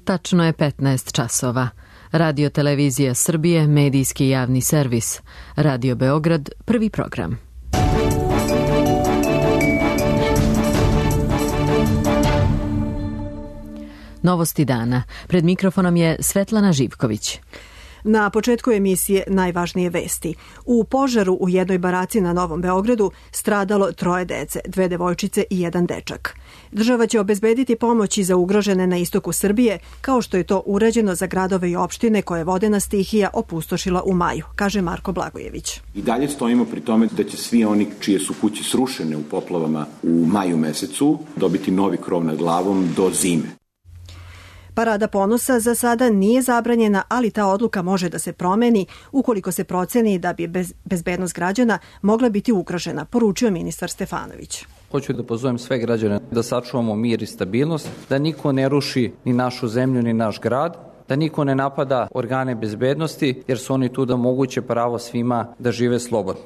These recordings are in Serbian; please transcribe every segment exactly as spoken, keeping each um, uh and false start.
Tačno je petnaest časova. Radio Televizija Srbije, medijski javni servis. Radio Beograd, prvi program. Novosti dana. Pred mikrofonom je Svetlana Živković. Na početku emisije najvažnije vesti. U požaru u jednoj baraci na Novom Beogradu stradalo troje dece, dve devojčice i jedan dečak. Država će obezbediti pomoći za ugrožene na istoku Srbije, kao što je to urađeno za gradove i opštine koje vodena stihija opustošila u maju, kaže Marko Blagojević. I dalje stojimo pri tome da će svi oni čije su kuće srušene u poplavama u maju mesecu dobiti novi krov nad glavom do zime. Parada ponosa za sada nije zabranjena, ali ta odluka može da se promeni ukoliko se proceni da bi bez, bezbednost građana mogla biti ugrožena, poručio ministar Stefanović. Hoću da pozovem sve građane da sačuvamo mir i stabilnost, da niko ne ruši ni našu zemlju ni naš grad, da niko ne napada organe bezbednosti jer su oni tu da omoguće pravo svima da žive slobodno.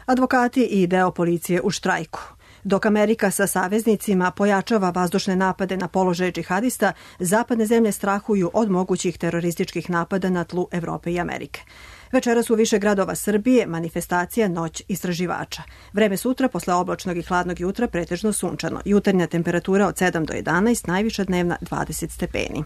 Advokati i deo policije u štrajku. Dok Amerika sa saveznicima pojačava vazdušne napade na položaje džihadista, zapadne zemlje strahuju od mogućih terorističkih napada na tlu Evrope i Amerike. Večeras u više gradova Srbije manifestacija Noć istraživača. Vreme sutra posle oblačnog i hladnog jutra pretežno sunčano. Jutarnja temperatura od sedam do jedanaest, najviša dnevna dvadeset stepeni.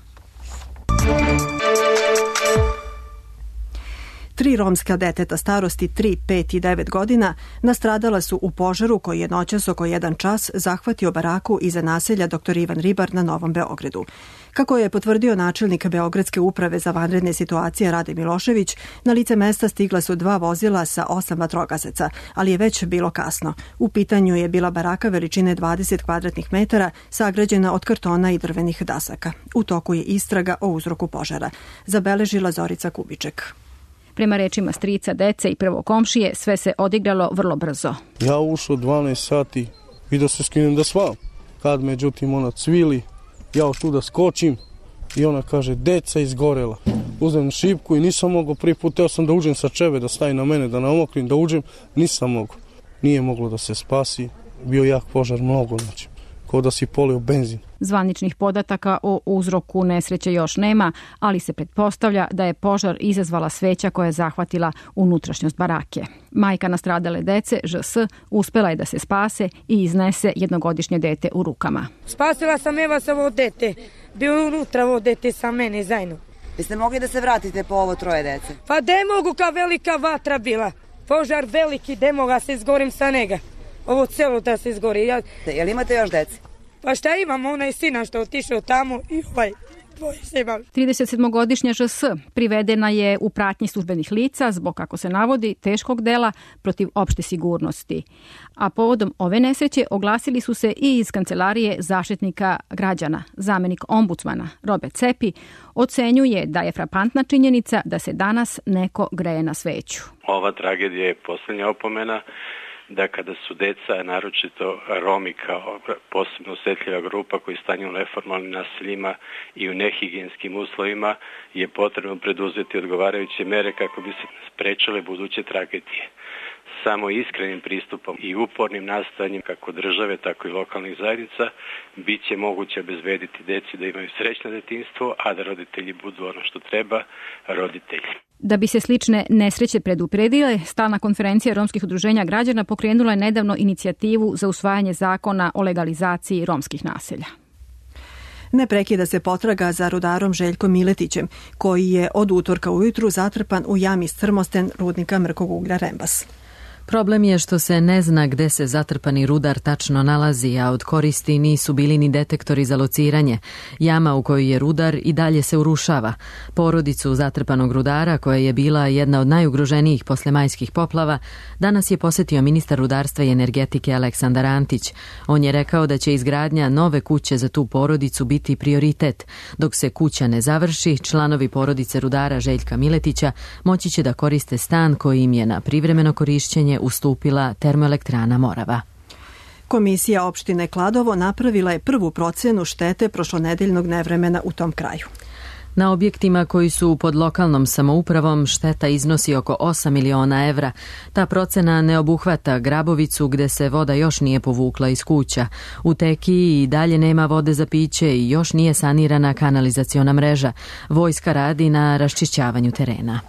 Tri romska deteta starosti tri, pet i devet godina nastradala su u požaru koji je noćas oko jedan čas zahvatio baraku iza naselja doktor Ivan Ribar na Novom Beogradu. Kako je potvrdio načelnik Beogradske uprave za vanredne situacije Rade Milošević, na lice mesta stigla su dva vozila sa osam vatrogasaca, ali je već bilo kasno. U pitanju je bila baraka veličine dvadeset kvadratnih metara, sagrađena od kartona i drvenih dasaka. U toku je istraga o uzroku požara. Zabeležila Zorica Kubiček. Prema rečima strica, dece i prvo komšije, sve se odigralo vrlo brzo. Ja ušao dvanaest sati i da se skinem da svam. Kad međutim ona cvili, ja tu da skočim i ona kaže deca izgorela. Uzem šipku i nisam mogao, prvi put teo sam da uđem sa čeve, da stavi na mene, da namokrim, da uđem, nisam mogao. Nije moglo da se spasi, bio jak požar mnogo, znači, kao da si polio benzin. Zvaničnih podataka o uzroku nesreće još nema, ali se pretpostavlja da je požar izazvala sveća koja je zahvatila unutrašnjost barake. Majka nastradale dece, Ž S, uspela je da se spase i iznese jednogodišnje dete u rukama. Spasila sam Eva sa ovo dete, bio unutra ovo dete sa mene zajedno. Biste mogli da se vratite po ovo troje dece? Pa de mogu, kao velika vatra bila. Požar veliki, de mogu, se izgorim sa njega. Ovo celo da se izgori. Ja... Jel imate još dece? Pa šta imam, onaj sina što otišao tamo i ovaj tvoj se imam. tridesetsedmogodišnja Ž S privedena je u pratnji službenih lica zbog, kako se navodi, teškog dela protiv opšte sigurnosti. A povodom ove nesreće oglasili su se i iz Kancelarije Zaštitnika građana. Zamenik ombudsmana Robert Cepi ocenjuje da je frapantna činjenica da se danas neko greje na sveću. Ova tragedija je posljednja opomena da kada su deca, naročito Romi kao posebno osjetljiva grupa koji stanju u neformalnim naseljima i u nehigijenskim uslovima, je potrebno preduzeti odgovarajuće mere kako bi se sprečale buduće tragedije. Samo iskrenim pristupom i upornim nastojanjem kako države, tako i lokalnih zajednica bit će moguće obezbediti deci da imaju srećno detinjstvo, a da roditelji budu ono što treba, roditelji. Da bi se slične nesreće predupredile, stalna konferencija romskih udruženja građana pokrenula je nedavno inicijativu za usvajanje zakona o legalizaciji romskih naselja. Ne prekida se potraga za rudarom Željkom Miletićem, koji je od utorka ujutru zatrpan u jami Strmosten rudnika mrkog uglja Rembas. Problem je što se ne zna gde se zatrpani rudar tačno nalazi, a od koristi nisu bili ni detektori za lociranje. Jama u kojoj je rudar i dalje se urušava. Porodicu zatrpanog rudara, koja je bila jedna od najugroženijih posle majskih poplava, danas je posetio ministar rudarstva i energetike Aleksandar Antić. On je rekao da će izgradnja nove kuće za tu porodicu biti prioritet. Dok se kuća ne završi, članovi porodice rudara Željka Miletića moći će da koriste stan koji im je na privremeno korišćenje ustupila termoelektrana Morava. Komisija opštine Kladovo napravila je prvu procenu štete prošlonedeljnog nevremena u tom kraju. Na objektima koji su pod lokalnom samoupravom šteta iznosi oko osam miliona evra. Ta procena ne obuhvata Grabovicu gde se voda još nije povukla iz kuća. U Tekiji i dalje nema vode za piće i još nije sanirana kanalizaciona mreža. Vojska radi na raščišćavanju terena.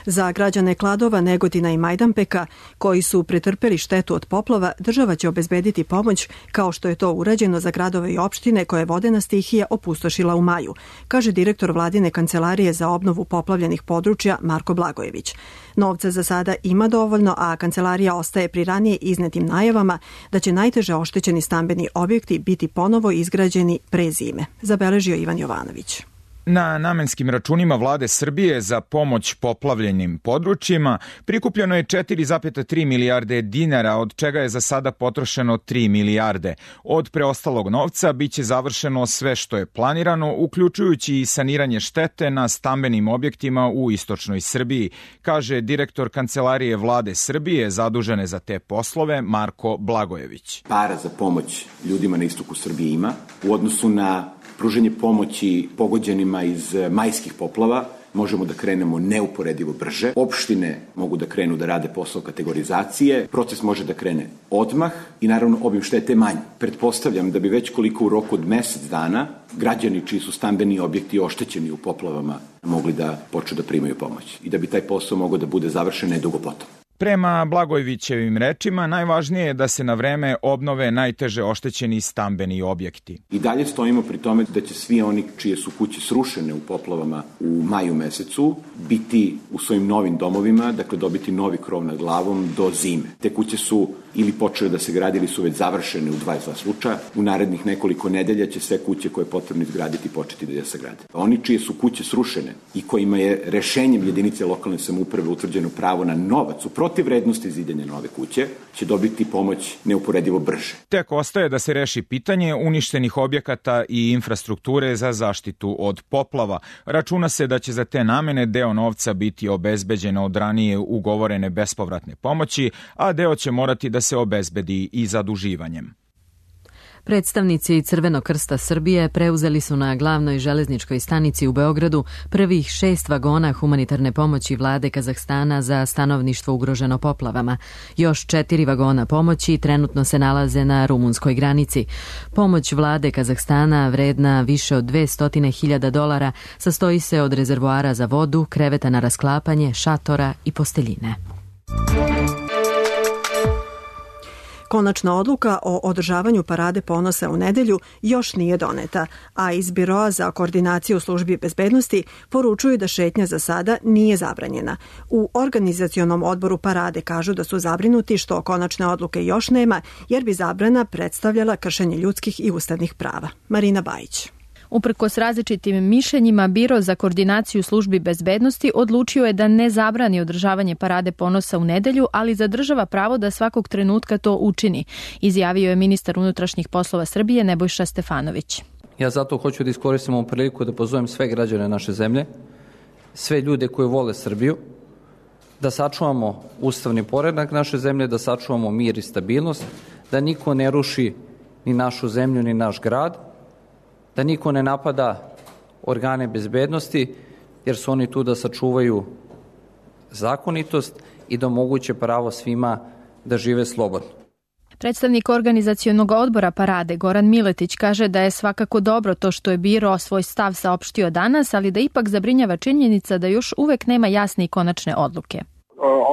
Za građane Kladova, Negotina i Majdanpeka, koji su pretrpeli štetu od poplava, država će obezbediti pomoć kao što je to urađeno za gradove i opštine koje vodena stihija opustošila u maju, kaže direktor Vladine kancelarije za obnovu poplavljenih područja Marko Blagojević. Novca za sada ima dovoljno, a kancelarija ostaje pri ranije iznetim najavama da će najteže oštećeni stambeni objekti biti ponovo izgrađeni pre zime, zabeležio Ivan Jovanović. Na namenskim računima Vlade Srbije za pomoć poplavljenim područjima prikupljeno je četiri zarez tri milijarde dinara, od čega je za sada potrošeno tri milijarde. Od preostalog novca biće završeno sve što je planirano, uključujući i saniranje štete na stambenim objektima u istočnoj Srbiji, kaže direktor Kancelarije Vlade Srbije zadužene za te poslove Marko Blagojević. Para za pomoć ljudima na istoku Srbije ima. U odnosu na pruženje pomoći pogođenima iz majskih poplava možemo da krenemo neuporedivo brže. Opštine mogu da krenu da rade posao kategorizacije, proces može da krene odmah i naravno obim štete manji. Pretpostavljam da bi već koliko u roku od mesec dana građani čiji su stambeni objekti oštećeni u poplavama mogli da počnu da primaju pomoć i da bi taj posao mogao da bude završen nedugo potom. Prema Blagojevićevim rečima, najvažnije je da se na vreme obnove najteže oštećeni stambeni objekti. I dalje stojimo pri tome da će svi oni čije su kuće srušene u poplavama u maju mesecu biti u svojim novim domovima, dakle dobiti novi krov nad glavom do zime. Te kuće su ili počele da se gradi ili su već završene u dvadeset dva slučaja. U narednih nekoliko nedelja će sve kuće koje je potrebno izgraditi početi da se grade. Oni čije su kuće srušene i kojima je rešenjem jedinice lokalne samouprave utvrđeno pravo na novac u protiv vrednosti zidanja nove kuće, će dobiti pomoć neuporedivo brže. Tek ostaje da se reši pitanje uništenih objekata i infrastrukture za zaštitu od poplava. Računa se da će za te namene deo novca biti obezbeđeno od ranije ugovorene bespovratne pomoći, a deo će morati da se obezbedi i zaduživanjem. Predstavnici Crvenog krsta Srbije preuzeli su na glavnoj železničkoj stanici u Beogradu prvih šest vagona humanitarne pomoći vlade Kazahstana za stanovništvo ugroženo poplavama. Još četiri vagona pomoći trenutno se nalaze na rumunskoj granici. Pomoć vlade Kazahstana, vredna više od dvesta hiljada dolara, sastoji se od rezervoara za vodu, kreveta na rasklapanje, šatora i posteljine. Konačna odluka o održavanju Parade ponosa u nedelju još nije doneta, a iz Biroa za koordinaciju službi bezbednosti poručuju da šetnja za sada nije zabranjena. U organizacionom odboru Parade kažu da su zabrinuti što konačne odluke još nema, jer bi zabrana predstavljala kršenje ljudskih i ustavnih prava. Marina Bajić. Uprkos različitim mišljenjima, Biro za koordinaciju službi bezbednosti odlučio je da ne zabrani održavanje Parade ponosa u nedelju, ali zadržava pravo da svakog trenutka to učini, izjavio je ministar unutrašnjih poslova Srbije Nebojša Stefanović. Ja zato hoću da iskoristim ovu priliku da pozovem sve građane naše zemlje, sve ljude koji vole Srbiju, da sačuvamo ustavni poredak naše zemlje, da sačuvamo mir i stabilnost, da niko ne ruši ni našu zemlju ni naš grad, da niko ne napada organe bezbednosti, jer su oni tu da sačuvaju zakonitost i da omoguće pravo svima da žive slobodno. Predstavnik organizacionog odbora Parade Goran Miletić kaže da je svakako dobro to što je Biro svoj stav saopštio danas, ali da ipak zabrinjava činjenica da još uvek nema jasne i konačne odluke.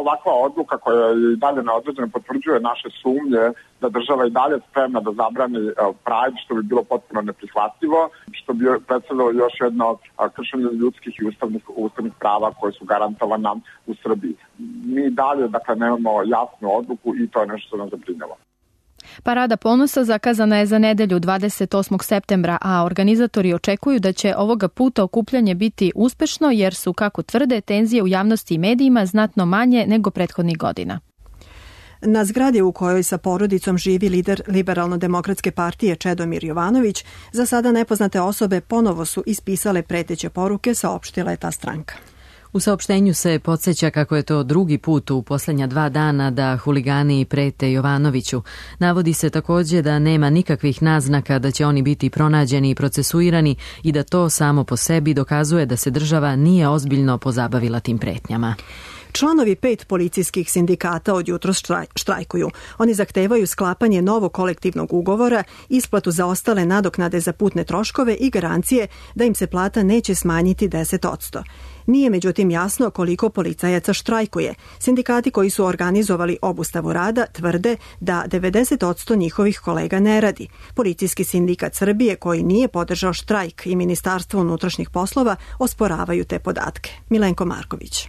Ovakva odluka koja i dalje neodređeno potvrđuje naše sumnje da država i dalje spremna da zabrani Pride, što bi bilo potpuno neprihvatljivo, što bi predstavljalo još jedno kršenje ljudskih i ustavnih, ustavnih prava koje su garantovana u Srbiji. Mi dalje, dakle, nemamo jasnu odluku i to je nešto što nas zabrinjava. Parada ponosa zakazana je za nedelju dvadeset osmog septembra, a organizatori očekuju da će ovoga puta okupljanje biti uspešno jer su, kako tvrde, tenzije u javnosti i medijima znatno manje nego prethodnih godina. Na zgradi u kojoj sa porodicom živi lider Liberalno-demokratske partije Čedomir Jovanović, za sada nepoznate osobe ponovo su ispisale preteće poruke, saopštila je ta stranka. U saopštenju se podsjeća kako je to drugi put u posljednja dva dana da huligani prete Jovanoviću. Navodi se također da nema nikakvih naznaka da će oni biti pronađeni i procesuirani i da to samo po sebi dokazuje da se država nije ozbiljno pozabavila tim pretnjama. Članovi pet policijskih sindikata od jutros štrajkuju. Oni zahtevaju sklapanje novog kolektivnog ugovora, isplatu za ostale nadoknade za putne troškove i garancije da im se plata neće smanjiti deset posto. Nije međutim jasno koliko policajaca štrajkuje. Sindikati koji su organizovali obustavu rada tvrde da devedeset posto njihovih kolega ne radi. Policijski sindikat Srbije, koji nije podržao štrajk, i Ministarstvo unutrašnjih poslova osporavaju te podatke. Milenko Marković.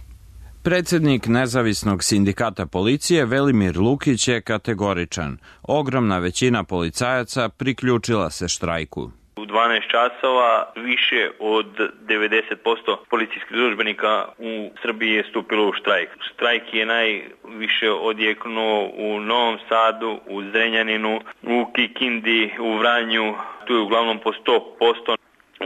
Predsednik nezavisnog sindikata policije Velimir Lukić je kategoričan. Ogromna većina policajaca priključila se štrajku. U dvanaest časova više od devedeset posto policijskih službenika u Srbiji je stupilo u štrajk. Štrajk je najviše odjeknuo u Novom Sadu, u Zrenjaninu, u Kikindi, u Vranju. Tu je uglavnom po sto posto.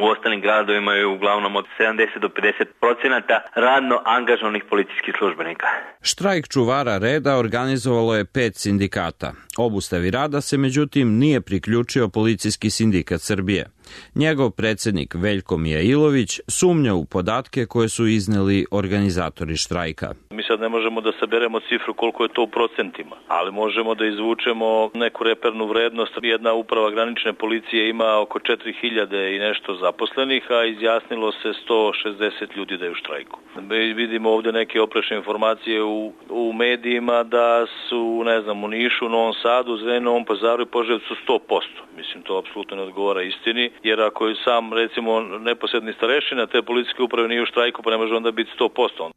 U ostalim gradovima je uglavnom od sedamdeset do pedeset procenata radno angažovanih policijskih službenika. Štrajk čuvara reda organizovalo je pet sindikata. Obustavi rada se međutim nije priključio Policijski sindikat Srbije. Njegov predsednik Veljko Mijailović sumnja u podatke koje su izneli organizatori štrajka. Mi sad ne možemo da saberemo cifru koliko je to u procentima, ali možemo da izvučemo neku repernu vrednost. Jedna uprava granične policije ima oko četiri hiljade i nešto zaposlenih, a izjasnilo se sto šezdeset ljudi da je u štrajku. Mi vidimo ovde neke oprečne informacije u, u medijima da su, ne znam, u Nišu, Novom Sadu, Zrenjaninu, Novom Pazaru i Požarevcu sto posto. Mislim, to apsolutno ne odgovara istini, jer ako je sam, recimo, neposredni starešina te policijske uprave nije u štrajku, pa ne može onda biti sto posto.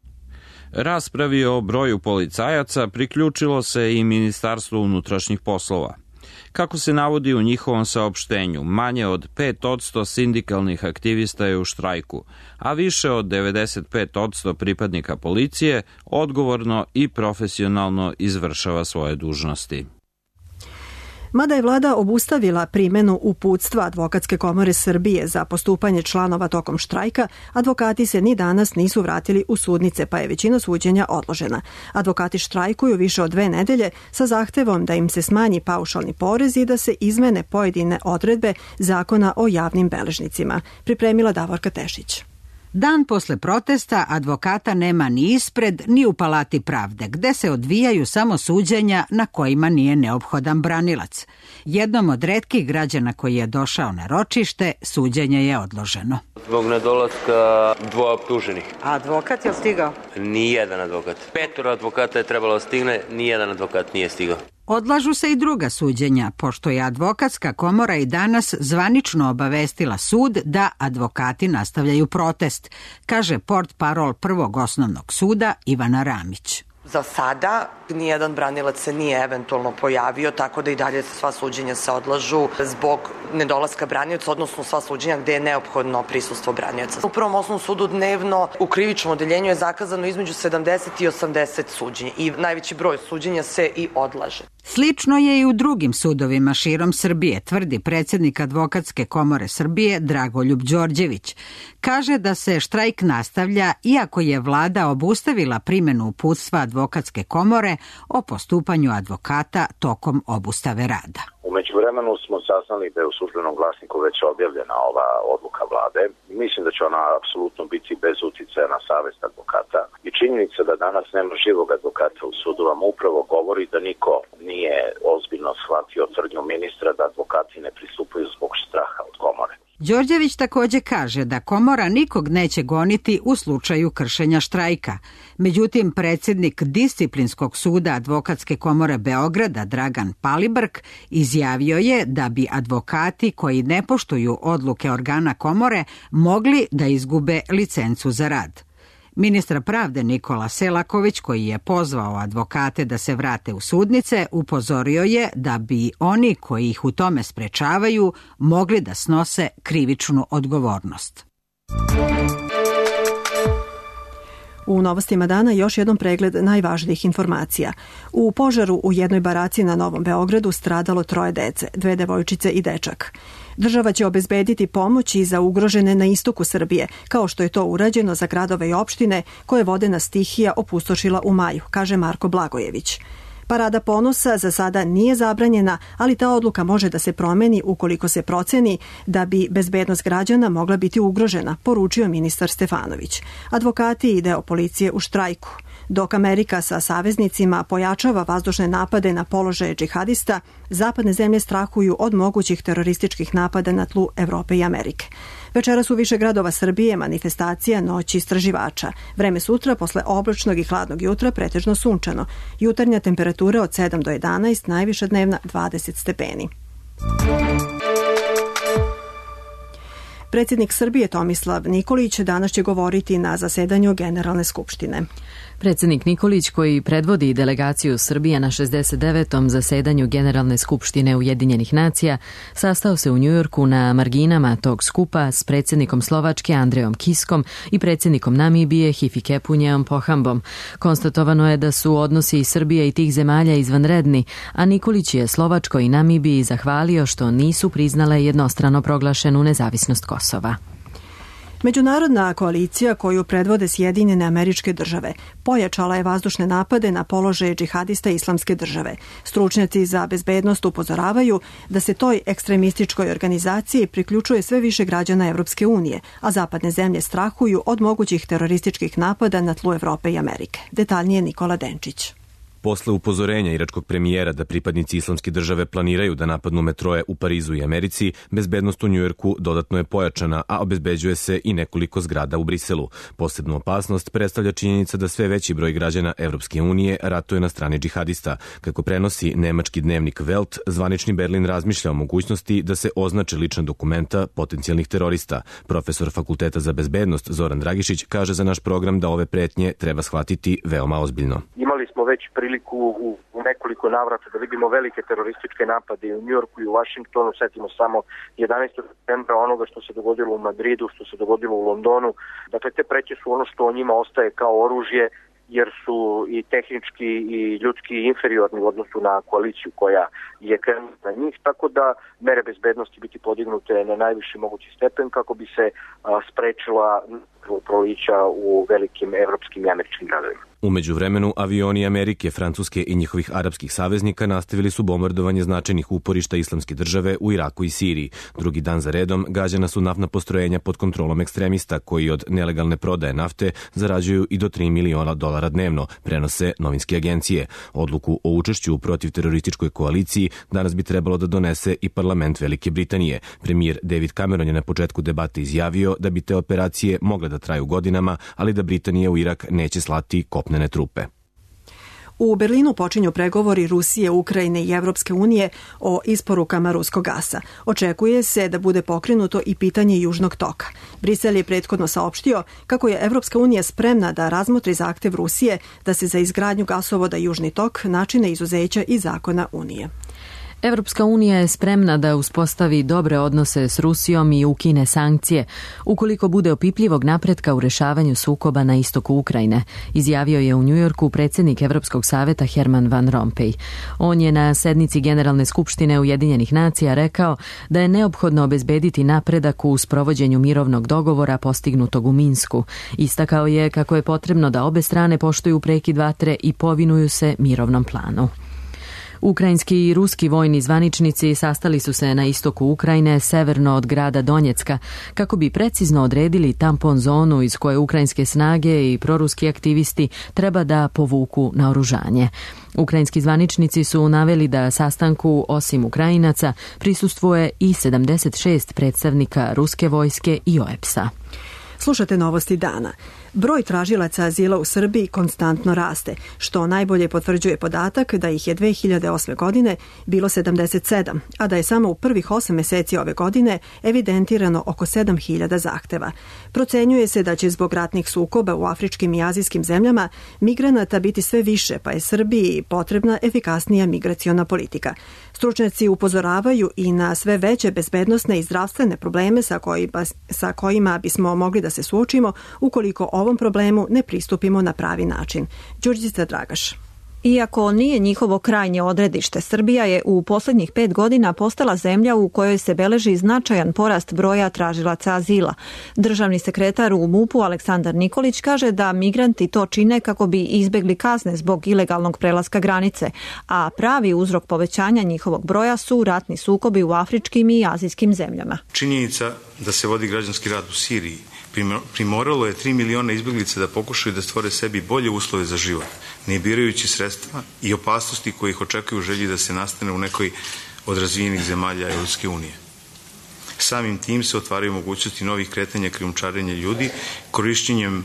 Raspravi o broju policajaca priključilo se i Ministarstvo unutrašnjih poslova. Kako se navodi u njihovom saopštenju, manje od pet posto sindikalnih aktivista je u štrajku, a više od devedeset pet posto pripadnika policije odgovorno i profesionalno izvršava svoje dužnosti. Mada je vlada obustavila primenu uputstva Advokatske komore Srbije za postupanje članova tokom štrajka, advokati se ni danas nisu vratili u sudnice, pa je većina suđenja odložena. Advokati štrajkuju više od dve nedelje sa zahtevom da im se smanji paušalni porez i da se izmene pojedine odredbe Zakona o javnim beležnicima. Pripremila Davorka Tešić. Dan posle protesta advokata nema ni ispred, ni u Palati pravde, gde se odvijaju samo suđenja na kojima nije neophodan branilac. Jednom od retkih građana koji je došao na ročište, suđenje je odloženo. Zbog nedolaska dvoje optuženih. A advokat je stigao? Nijedan advokat. Petoro advokata je trebalo da stigne, nijedan advokat nije stigao. Odlažu se i druga suđenja, pošto je Advokatska komora i danas zvanično obavestila sud da advokati nastavljaju protest, kaže portparol Prvog osnovnog suda Ivana Ramić. Za sada nijedan branilac se nije eventualno pojavio, tako da i dalje sva suđenja se odlažu zbog nedolaska branioca, odnosno sva suđenja gde je neophodno prisustvo branioca. U Prvom osnovnom sudu dnevno u krivičnom odeljenju je zakazano između sedamdeset i osamdeset suđenja i najveći broj suđenja se i odlaže. Slično je i u drugim sudovima širom Srbije, tvrdi predsednik Advokatske komore Srbije Dragoljub Đorđević. Kaže da se štrajk nastavlja iako je vlada obustavila primenu uputstva Advokatske komore o postupanju advokata tokom obustave rada. U međuvremenu smo saznali da je u službenom glasniku već objavljena ova odluka vlade. Mislim da će ona apsolutno biti bez uticaja na savest advokata. I činjenica da danas nema živog advokata u sudu vam upravo govori da niko nije ozbiljno shvatio tvrdnju ministra da advokati ne pristupaju zbog straha od komore. Đorđević takođe kaže da komora nikog neće goniti u slučaju kršenja štrajka. Međutim, predsednik Disciplinskog suda Advokatske komore Beograda Dragan Palibrk izjavio je da bi advokati koji ne poštuju odluke organa komore mogli da izgube licencu za rad. Ministar pravde Nikola Selaković, koji je pozvao advokate da se vrate u sudnice, upozorio je da bi oni koji ih u tome sprečavaju mogli da snose krivičnu odgovornost. U novostima dana još jednom pregled najvažnijih informacija. U požaru u jednoj baraci na Novom Beogradu stradalo troje dece, dve devojčice i dečak. Država će obezbediti pomoć i za ugrožene na istoku Srbije, kao što je to urađeno za gradove i opštine koje vodena stihija opustošila u maju, kaže Marko Blagojević. Parada ponosa za sada nije zabranjena, ali ta odluka može da se promeni ukoliko se proceni da bi bezbednost građana mogla biti ugrožena, poručio ministar Stefanović. Advokati i deo policije u štrajku. Dok Amerika sa saveznicima pojačava vazdušne napade na položaje džihadista, zapadne zemlje strahuju od mogućih terorističkih napada na tlu Evrope i Amerike. Večeras u više gradova Srbije manifestacija Noć istraživača. Vreme sutra posle oblačnog i hladnog jutra pretežno sunčano. Jutarnja temperatura od sedam do jedanaest, najviša dnevna dvadeset stepeni. Predsjednik Srbije Tomislav Nikolić danas će govoriti na zasedanju Generalne skupštine. Predsjednik Nikolić, koji predvodi delegaciju Srbije na šezdeset devetom zasedanju Generalne skupštine Ujedinjenih nacija, sastao se u Njujorku na marginama tog skupa s predsjednikom Slovačke Andrejom Kiskom i predsjednikom Namibije Hifikepunjeom Pohambom. Konstatovano je da su odnosi Srbije i tih zemalja izvanredni, a Nikolić je Slovačkoj i Namibiji zahvalio što nisu priznale jednostrano proglašenu nezavisnost Kosova. Međunarodna koalicija koju predvode Sjedinjene Američke države pojačala je vazdušne napade na položaje džihadista Islamske države. Stručnjaci za bezbednost upozoravaju da se toj ekstremističkoj organizaciji priključuje sve više građana Evropske unije, a zapadne zemlje strahuju od mogućih terorističkih napada na tlu Evrope i Amerike. Detaljnije Nikola Denčić. Posle upozorenja iračkog premijera da pripadnici Islamske države planiraju da napadnu metroje u Parizu i Americi, bezbednost u Njujorku dodatno je pojačana, a obezbeđuje se i nekoliko zgrada u Briselu. Posebnu opasnost predstavlja činjenica da sve veći broj građana Evropske unije ratuje na strani džihadista. Kako prenosi nemački dnevnik Welt, zvanični Berlin razmišlja o mogućnosti da se označe lična dokumenta potencijalnih terorista. Profesor Fakulteta za bezbednost Zoran Dragišić kaže za naš program da ove pretnje treba shvatiti veoma ozbiljno. Imali smo već priliku u, u nekoliko navrata da vidimo velike terorističke napade u Njujorku i u Vašingtonu. Setimo samo jedanaestog septembra onoga što se dogodilo u Madridu, što se dogodilo u Londonu. Dakle, te preće su ono što o njima ostaje kao oružje, jer su i tehnički i ljudski inferiorni u odnosu na koaliciju koja je krenula na njih, tako da mere bezbednosti biti podignute na najviši mogući stepen kako bi se a, sprečila prolića u velikim evropskim i američkim gradovima. U međuvremenu, avioni Amerike, Francuske i njihovih arapskih saveznika nastavili su bombardovanje značajnih uporišta Islamske države u Iraku i Siriji. Drugi dan za redom gađana su naftna postrojenja pod kontrolom ekstremista koji od nelegalne prodaje nafte zarađuju i do tri miliona dolara dnevno, prenose novinske agencije. Odluku o učešću u protivterorističkoj koaliciji danas bi trebalo da donese i parlament Velike Britanije. Premijer David Cameron je na početku debate izjavio da bi te operacije mogle da traju godinama, ali da Britanija u Irak neće slati kopnene trupe. U Berlinu počinju pregovori Rusije, Ukrajine i Evropske unije o isporukama ruskog gasa. Očekuje se da bude pokrenuto i pitanje Južnog toka. Brisel je prethodno saopštio kako je Evropska unija spremna da razmotri zahtev Rusije da se za izgradnju gasovoda Južni tok načine izuzeća iz zakona Unije. Evropska unija je spremna da uspostavi dobre odnose s Rusijom i ukine sankcije ukoliko bude opipljivog napretka u rešavanju sukoba na istoku Ukrajine, izjavio je u Njujorku predsjednik Evropskog saveta Herman Van Rompuy. On je na sednici Generalne skupštine Ujedinjenih nacija rekao da je neophodno obezbediti napredak u sprovođenju mirovnog dogovora postignutog u Minsku. Istakao je kako je potrebno da obe strane poštuju prekid vatre i povinuju se mirovnom planu. Ukrajinski i ruski vojni zvaničnici sastali su se na istoku Ukrajine, severno od grada Donjecka, kako bi precizno odredili tampon zonu iz koje ukrajinske snage i proruski aktivisti treba da povuku naoružanje. Ukrajinski zvaničnici su naveli da sastanku, osim Ukrajinaca, prisustvuje i sedamdeset šest predstavnika ruske vojske i O E P S-a. Slušate novosti dana. Broj tražilaca azila u Srbiji konstantno raste, što najbolje potvrđuje podatak da ih je dve hiljade osme. godine bilo sedamdeset sedam, a da je samo u prvih osam meseci ove godine evidentirano oko sedam hiljada zahteva. Procenjuje se da će zbog ratnih sukoba u afričkim i azijskim zemljama migranata biti sve više, pa je Srbiji potrebna efikasnija migraciona politika. Stručnjaci upozoravaju i na sve veće bezbednosne i zdravstvene probleme sa kojima, sa kojima bismo mogli da se suočimo ukoliko ovom problemu ne pristupimo na pravi način. Đurđica Dragaš. Iako nije njihovo krajnje odredište, Srbija je u posljednjih pet godina postala zemlja u kojoj se beleži značajan porast broja tražilaca azila. Državni sekretar u MUP-u Aleksandar Nikolić kaže da migranti to čine kako bi izbegli kazne zbog ilegalnog prelaska granice, a pravi uzrok povećanja njihovog broja su ratni sukobi u afričkim i azijskim zemljama. Činjenica da se vodi građanski rat u Siriji primoralo je tri miliona izbjeglica da pokušaju da stvore sebi bolje uslove za život, ne birajući sredstva i opasnosti koje ih očekuju u želji da se nastane u nekoj od razvijenih zemalja Europske unije. Samim tim se otvaraju mogućnosti novih kretanja krijumčarenja ljudi, korišćenjem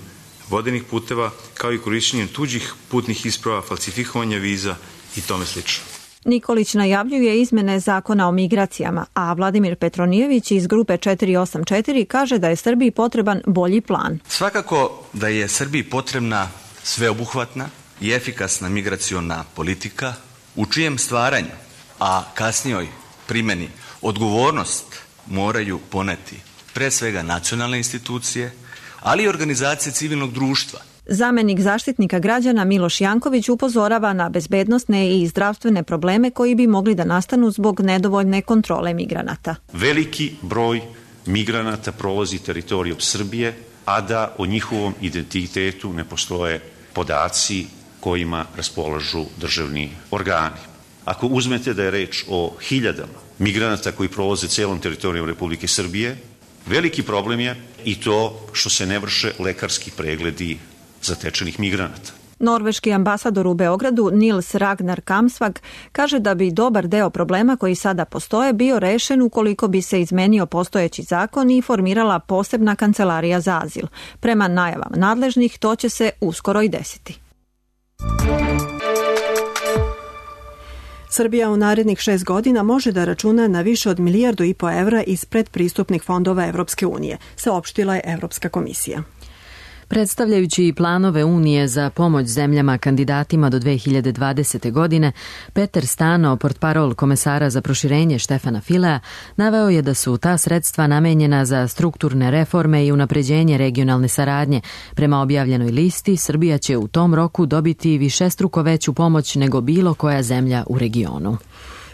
vodenih puteva, kao i korišćenjem tuđih putnih isprava, falsifikovanja viza i tome slično. Nikolić najavljuje izmene zakona o migracijama, a Vladimir Petronijević iz grupe četiri osam četiri kaže da je Srbiji potreban bolji plan. Svakako da je Srbiji potrebna sveobuhvatna i efikasna migraciona politika u čijem stvaranju, a kasnijoj primjeni odgovornost moraju poneti pre svega nacionalne institucije, ali i organizacije civilnog društva. Zamenik zaštitnika građana Miloš Janković upozorava na bezbednosne i zdravstvene probleme koji bi mogli da nastanu zbog nedovoljne kontrole migranata. Veliki broj migranata prolazi teritorijom Srbije, a da o njihovom identitetu ne postoje podaci kojima raspolažu državni organi. Ako uzmete da je reč o hiljadama migranata koji prolaze celom teritorijom Republike Srbije, veliki problem je i to što se ne vrše lekarski pregledi zatečenih migranata. Norveški ambasador u Beogradu Nils Ragnar Kamsvag kaže da bi dobar deo problema koji sada postoje bio rešen ukoliko bi se izmenio postojeći zakon i formirala posebna kancelarija za azil. Prema najavama nadležnih to će se uskoro i desiti. Srbija u narednih šest godina može da računa na više od milijardu i po evra iz predpristupnih fondova Evropske unije, saopštila je Evropska komisija. Predstavljajući planove Unije za pomoć zemljama kandidatima do dve hiljade dvadesete. godine, Peter Stano, portparol komesara za proširenje Štefana Filea, naveo je da su ta sredstva namenjena za strukturne reforme i unapređenje regionalne saradnje. Prema objavljenoj listi, Srbija će u tom roku dobiti višestruko veću pomoć nego bilo koja zemlja u regionu.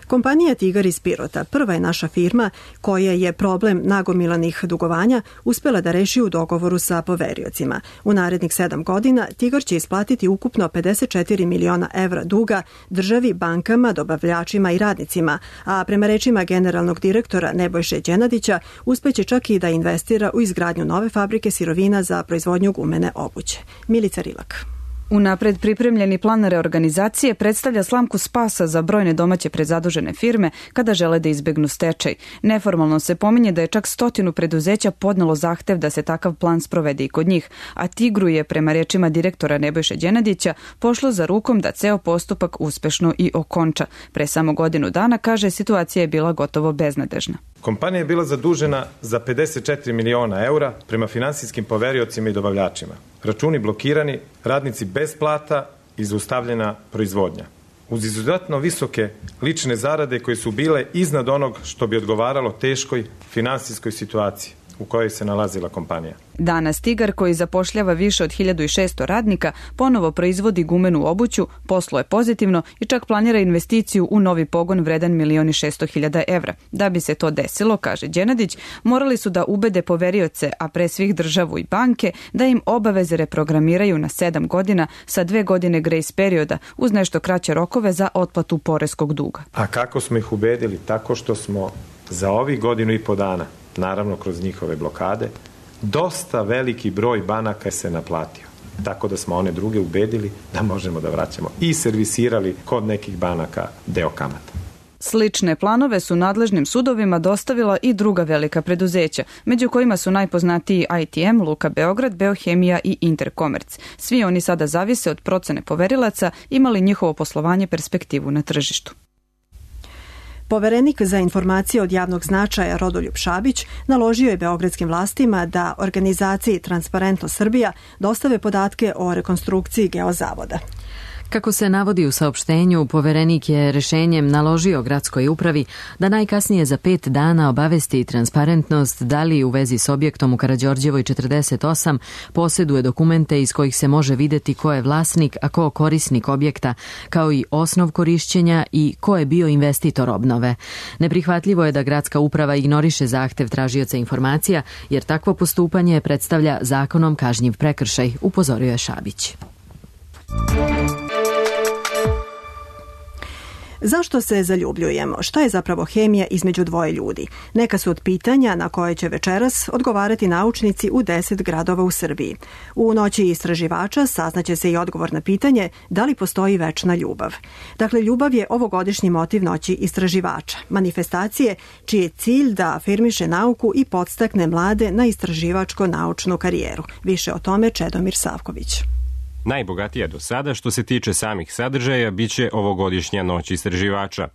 Kompanija Tigar iz Pirota prva je naša firma koja je problem nagomilanih dugovanja uspela da reši u dogovoru sa poveriocima. U narednih sedam godina Tigar će isplatiti ukupno pedeset četiri miliona evra duga državi, bankama, dobavljačima i radnicima, a prema rečima generalnog direktora Nebojše Đenadića uspeće čak i da investira u izgradnju nove fabrike sirovina za proizvodnju gumene obuće. Milica Rilak. Unapred pripremljeni plan reorganizacije predstavlja slamku spasa za brojne domaće prezadužene firme kada žele da izbegnu stečaj. Neformalno se pominje da je čak stotinu preduzeća podnelo zahtev da se takav plan sprovede i kod njih, a Tigru je, prema rečima direktora Nebojše Đenadića, pošlo za rukom da ceo postupak uspešno i okonča. Pre samo godinu dana, kaže, situacija je bila gotovo beznadežna. Kompanija je bila zadužena za pedeset četiri miliona eura prema finansijskim poveriocima i dobavljačima. Računi blokirani, radnici bez plata i zaustavljena proizvodnja. Uz izuzetno visoke lične zarade koje su bile iznad onog što bi odgovaralo teškoj finansijskoj situaciji u kojoj se nalazila kompanija. Danas Tigar, koji zapošljava više od hiljadu šesto radnika, ponovo proizvodi gumenu obuću, posluje pozitivno i čak planira investiciju u novi pogon vredan milion i šesto hiljada evra. Da bi se to desilo, kaže Đenadić, morali su da ubede poverioce, a pre svih državu i banke, da im obaveze reprogramiraju na sedam godina sa dve godine grace perioda uz nešto kraće rokove za otplatu poreskog duga. A kako smo ih ubedili? Tako što smo za ovih godinu i po dana, naravno kroz njihove blokade, dosta veliki broj banaka se naplatio. Tako da smo one druge ubedili da možemo da vraćamo i servisirali kod nekih banaka deo kamata. Slične planove su nadležnim sudovima dostavila i druga velika preduzeća, među kojima su najpoznatiji I T M, Luka Beograd, Beohemija i Interkomerc. Svi oni sada zavise od procene poverilaca, imali njihovo poslovanje perspektivu na tržištu. Poverenik za informacije od javnog značaja Rodoljub Šabić naložio je beogradskim vlastima da organizaciji Transparentno Srbija dostave podatke o rekonstrukciji Geozavoda. Kako se navodi u saopštenju, poverenik je rešenjem naložio gradskoj upravi da najkasnije za pet dana obavesti transparentnost da li u vezi s objektom u Karađorđevoj četrdeset osam posjeduje dokumente iz kojih se može videti ko je vlasnik, a ko korisnik objekta, kao i osnov korišćenja i ko je bio investitor obnove. Neprihvatljivo je da gradska uprava ignoriše zahtev tražioca informacija, jer takvo postupanje predstavlja zakonom kažnjiv prekršaj, upozorio je Šabić. Zašto se zaljubljujemo? Šta je zapravo hemija između dvoje ljudi? Neka su od pitanja na koje će večeras odgovarati naučnici u deset gradova u Srbiji. U noći istraživača saznaće se i odgovor na pitanje da li postoji večna ljubav. Dakle, ljubav je ovogodišnji motiv noći istraživača, manifestacije čiji je cilj da afirmiše nauku i podstakne mlade na istraživačko-naučnu karijeru. Više o tome Čedomir Savković. Najbogatija do sada što se tiče samih sadržaja biće ovogodišnja noć istraživača.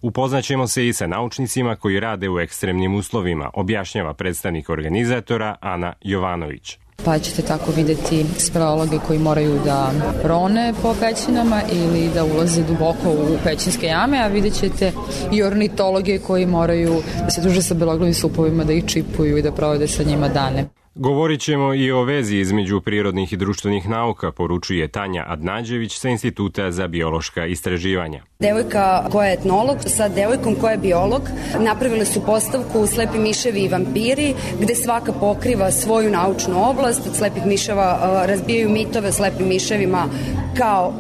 Upoznaćemo se i sa naučnicima koji rade u ekstremnim uslovima, objašnjava predstavnik organizatora Ana Jovanović. Pa ćete tako vidjeti speleologe koji moraju da rone po pećinama ili da ulaze duboko u pećinske jame, a vidjet ćete i ornitologe koji moraju da se druže sa beloglavim supovima, da ih čipuju i da provode sa njima dane. Govorit ćemo i o vezi između prirodnih i društvenih nauka, poručuje Tanja Adnađević sa Instituta za biološka istraživanja. Devojka koja je etnolog sa devojkom koja je biolog napravile su postavku Slepi miševi i vampiri, gde svaka pokriva svoju naučnu oblast. Od slepih miševa razbijaju mitove o slepim miševima kao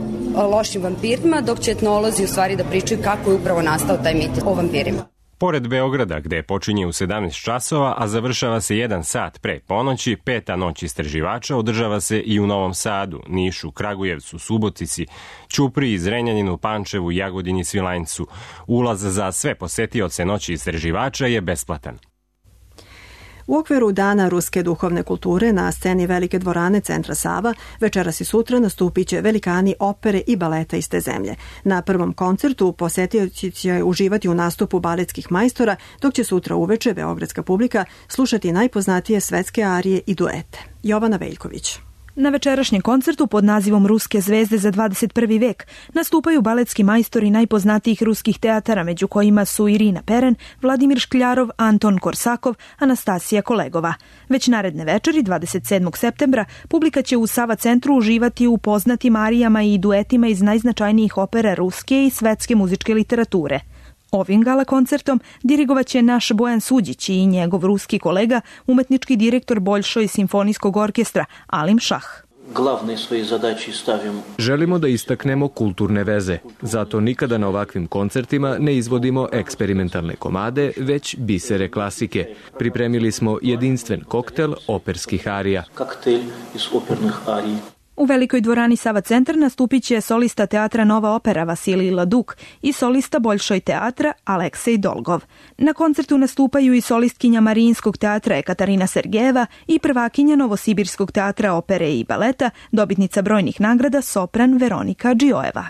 lošim vampirima, dok će etnolozi u stvari da pričaju kako je upravo nastao taj mit o vampirima. Pored Beograda, gde počinje u sedamnaest časova, a završava se jedan sat pre ponoći, peta noć istraživača održava se i u Novom Sadu, Nišu, Kragujevcu, Subotici, Ćupriji, Zrenjaninu, Pančevu, Jagodini, Svilajncu. Ulaz za sve posetioce noći istraživača je besplatan. U okviru Dana ruske duhovne kulture na sceni Velike dvorane Centra Sava večeras i sutra nastupit će velikani opere i baleta iz te zemlje. Na prvom koncertu posetioci će uživati u nastupu baletskih majstora, dok će sutra uveče beogradska publika slušati najpoznatije svetske arije i duete. Jovana Veljković. Na večerašnjem koncertu pod nazivom Ruske zvezde za dvadeset prvi vek nastupaju baletski majstori najpoznatijih ruskih teatara, među kojima su Irina Peren, Vladimir Škljarov, Anton Korsakov, Anastasija Kolegova. Već naredne večeri, dvadeset sedmog septembra, publika će u Sava centru uživati u poznatim arijama i duetima iz najznačajnijih opera ruske i svetske muzičke literature. Ovim gala koncertom dirigovaće naš Bojan Suđić i njegov ruski kolega, umetnički direktor Boljšoj simfonijskog orkestra Alim Šah. Želimo da istaknemo kulturne veze, zato nikada na ovakvim koncertima ne izvodimo eksperimentalne komade, već bisere klasike. Pripremili smo jedinstven koktel operskih arija. U Velikoj dvorani Sava centar nastupit će solista teatra Nova opera Vasilij Laduk i solista Boljšoj teatra Aleksej Dolgov. Na koncertu nastupaju i solistkinja Marijinskog teatra Ekaterina Sergejeva i prvakinja Novosibirskog teatra opere i baleta, dobitnica brojnih nagrada sopran Veronika Džiojeva.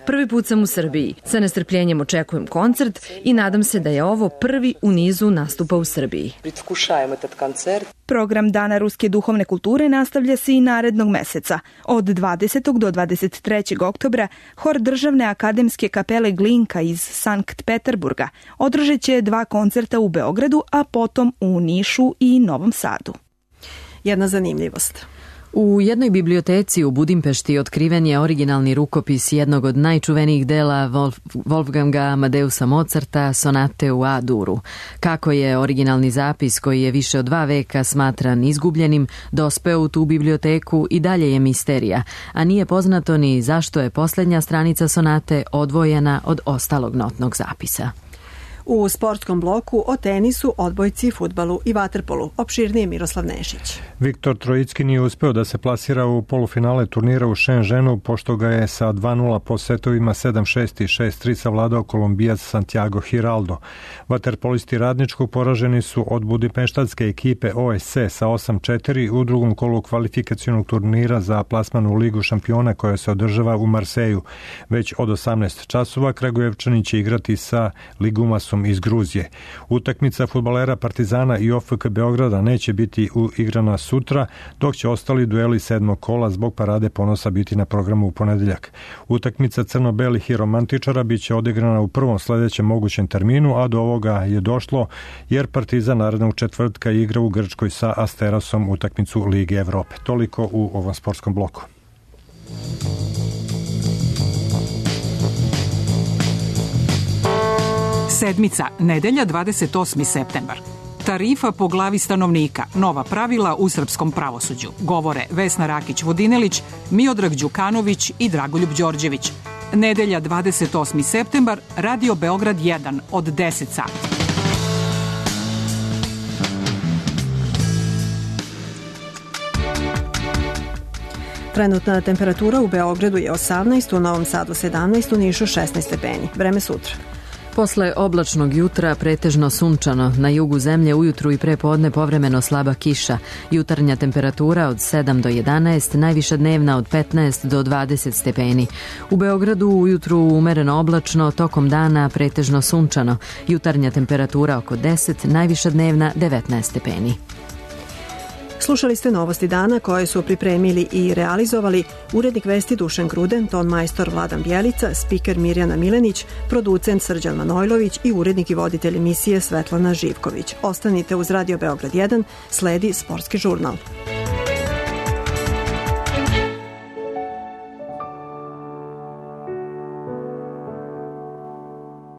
Prvi put sam u Srbiji. Sa nestrpljenjem očekujem koncert i nadam se da je ovo prvi u nizu nastupa u Srbiji. Program Dana ruske duhovne kulture nastavlja se i narednog meseca. Od dvadesetog do dvadeset trećeg oktobra hor Državne akademske kapele Glinka iz Sankt Peterburga održat će dva koncerta u Beogradu, a potom u Nišu i Novom Sadu. Jedna zanimljivost. U jednoj biblioteci u Budimpešti otkriven je originalni rukopis jednog od najčuvenijih dela Wolf, Wolfganga Amadeusa Mozarta, sonate u A-duru. Kako je originalni zapis, koji je više od dva veka smatran izgubljenim, dospeo u tu biblioteku i dalje je misterija, a nije poznato ni zašto je posljednja stranica sonate odvojena od ostalog notnog zapisa. U sportskom bloku o tenisu, odbojci, fudbalu i vaterpolu. Opširnije Miroslav Nešić. Viktor Trojicki nije uspeo da se plasira u polufinale turnira u Shenzhenu, pošto ga je sa dva nula po setovima sedam šest i šest tri savladao Kolumbijac Santiago Giraldo. Vaterpolisti Radničkog poraženi su od budimpeštanske ekipe O S C sa osam četiri u drugom kolu kvalifikacionog turnira za plasman u Ligu šampiona koja se održava u Marseju. Već od osamnaest časova Kragujevčani će igrati sa Liguma Asterasom iz Gruzije. Utakmica fudbalera Partizana i O F K Beograda neće biti igrana sutra, dok će ostali dueli sedmog kola zbog Parade ponosa biti na programu u ponedeljak. Utakmica crno-belih i romantičara biće odigrana u prvom sledećem mogućem terminu, a do ovoga je došlo jer Partizan narednog četvrtka igra u Grčkoj sa Asterasom utakmicu Lige Evrope. Toliko u ovom sportskom bloku. Sedmica, nedelja dvadeset osmi septembar. Tarifa po glavi stanovnika, nova pravila u srpskom pravosuđu. Govore Vesna Rakić-Vodinelić, Miodrag Đukanović i Dragoljub Đorđević. Nedelja dvadeset osmi septembar, Radio Beograd jedan od deset sati. Trenutna temperatura u Beogradu je osamnaest, u Novom Sadu sedamnaest, u Nišu šesnaest stepeni. Vreme sutra. Posle oblačnog jutra pretežno sunčano, na jugu zemlje ujutru i pre podne povremeno slaba kiša, jutarnja temperatura od sedam do jedanaest, najviša dnevna od petnaest do dvadeset stepeni. U Beogradu ujutru umereno oblačno, tokom dana pretežno sunčano, jutarnja temperatura oko deset, najviša dnevna devetnaest stepeni. Slušali ste novosti dana koje su pripremili i realizovali urednik vesti Dušan Gruden, ton majstor Vladan Bjelica, spiker Mirjana Milenić, producent Srđan Manojlović i urednik i voditelj emisije Svetlana Živković. Ostanite uz Radio Beograd jedan, sledi sportski žurnal.